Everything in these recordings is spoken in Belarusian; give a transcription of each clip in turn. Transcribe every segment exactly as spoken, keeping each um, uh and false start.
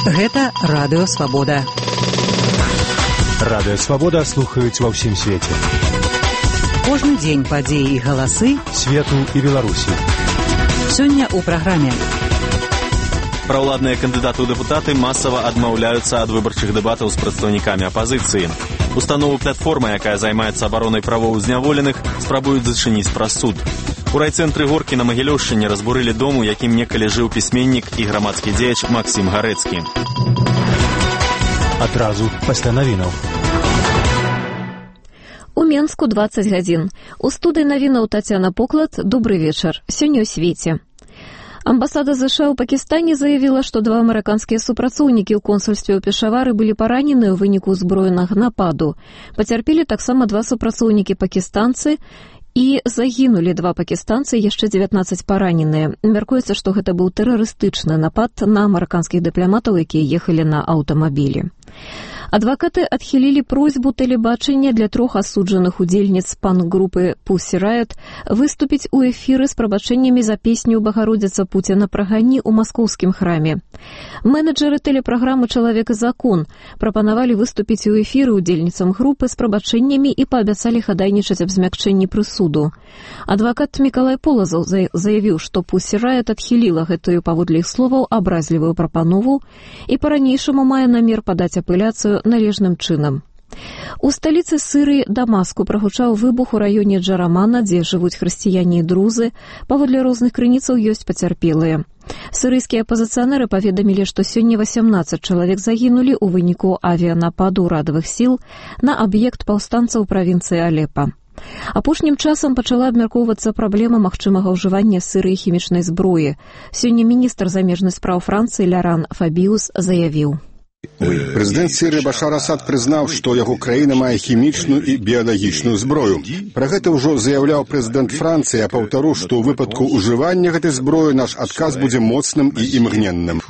Гэта Радыё Свабода. Радыё Свабода слухаюць ва ўсім свеце. Кожны дзень падзеі і галасы свету і Беларусі. Сёння ў праграме. Праўладныя кандыдаты ў дэпутаты масава адмаўляюцца ад выбарчых дэбатаў з прадстаўнікамі апазіцыі. Установу платформы, якая займаецца абаронай правоў зняволеных, спрабуюць зачыніць праз суд. У райцэнтры Горкі на Магілёўшчыне разбурылі дом, у якім некалі жыў пісьменнік і грамадскі дзеяч Максім Гарэцкі. Адразу пасля навінаў. У Менску дваццаць гадзін. У студыі навінаў Тацяна Поклад. Добры вечар. Сёння ў свеце. Амбасада ЗША ў Пакістане заявіла, што два амерыканскія супрацоўнікі ў консульстве ў Пешавары былі паранены ў выніку ўзброенага нападу. Пацярпелі таксама два супрацоўнікі пакістанцы і загінулі два пакістанцы, яшчэ дзевятнаццаць параненыя. Мяркуецца, што гэта быў тэрарыстычны напад на амерыканскіх дыпламатаў, якія ехалі на аўтамабілі. Адвакаты адхілілі просьбу тэлебачання для трох асуджаных удзельніц панк-групы Pussy Riot выступіць у эфіры з прабачэннямі за песню «Багародзіца Пуціна прагані» у маскоўскім храме. Менеджеры тэлепраграмы «Чалавек і закон» прапанавалі выступіць у эфіры удзельніцам групы з прабачэннямі і паабяцалі хадайнічаць аб змякчэнні прысуду. Адвакат Мікалай Полазаў заявіў, што Pussy Riot адхіліла гэтую, паводле іх словаў, абразлівую прапанову і па-ранейшаму мае намер падаць апеляцыю належным чынам. У сталіцы Сырыі Дамаску прагучаў выбух у раёне Джарамана, дзе жывуць хрысціяне і друзы. Паводле розных крыніцаў ёсць пацярпелыя. Сырыйскія апазіцыянеры паведамілі, што сёння васямнаццаць чалавек загінулі ў выніку авіянападу ўрадавых сіл на аб'ект паўстанцаў правінцыі Алепа. Апошнім часам пачала абмяркоўвацца праблема магчымага ўжывання сырай хімічнай зброі. Сёння міністр замежных спраў Францыі Ляран Фабіус заявіў: Прэзідэнт Сірыі Башар Асад прызнаў, што яго краіна мае хімічную і біялагічную зброю. Пра гэта ўжо заяўляў прэзідэнт Францыі, а паўтару, што ў выпадку ўжывання гэтай зброі наш адказ будзе моцным і імгненным.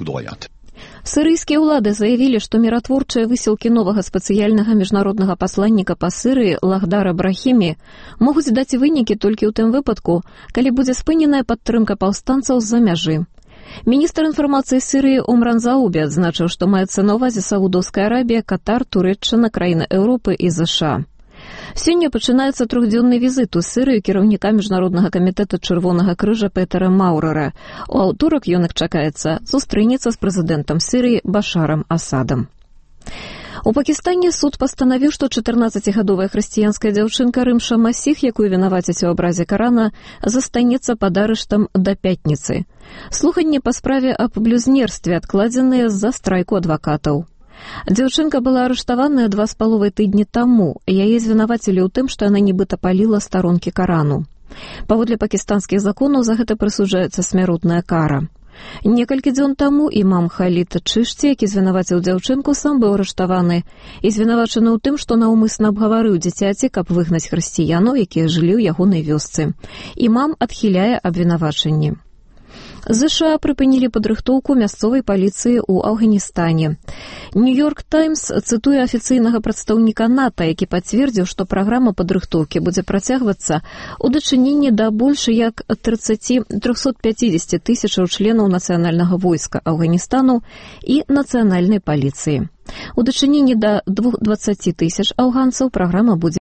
Сырыйскія ўлады заявілі, што міратворчыя высілкі новага спецыяльнага міжнароднага пасланніка па Сырыі Лагдара Брахімі могуць даць вынікі толькі ў тым выпадку, калі будзе спыненая падтрымка паўстанцаў з-за мяжы. Міністр інфармацыі Сырыі Омран Заубі адзначыў, што маецца на ўвазе Саудаўская Арабія, Катар, Турэччына, краіны Еўропы і ЗША. Сёння пачынаецца трохдзённы візіт у Сырыю кіраўніка Міжнароднага камітэта Чырвонага крыжа Петера Маўрера. У аўторак ён, як чакаецца, сустрэнецца з прэзідэнтам Сырыі Башарам Асадам. У Пакістане суд пастанавіў, што чатырнаццацігадовая хрысціянская дзяўчынка Рымша Масіх, якую вінавацяць у абразе Карана, застанецца пад арыштам да пятніцы. Слуханні па справе аб блюзнерстве адкладзеныя з-за страйку адвакатаў. Дзяўчынка была арыштаваная два з паловай тыдні таму. Яе звінавацілі ў тым, што яна нібыта паліла старонкі Карану. Паводле пакістанскіх законаў за гэта прысуджаецца смяротная кара. Некалькі дзён таму імам Халід Чышці, які звінаваціў дзяўчынку, сам быў арыштаваны і звінавачаны ў тым, што наўмысна абгаварыў дзіцяці, каб выгнаць хрысціянаў, якія жылі ў ягонай вёсцы. Імам адхіляе абвінавачанні. ЗША прыпынілі падрыхтоўку мясцовай паліцыі ў Афганістане. Нью-Йорк Таймс цытуе афіцыйнага прадстаўніка НАТО, які пацвердзіў, што праграма падрыхтоўкі будзе працягвацца у дачыненні да больш як трохсот пяцідзесяці тысячаў членаў нацыянальнага войска Афганістану і нацыянальнай паліцыі. У дачыненні да дваццаці тысяч афганцаў праграма будзе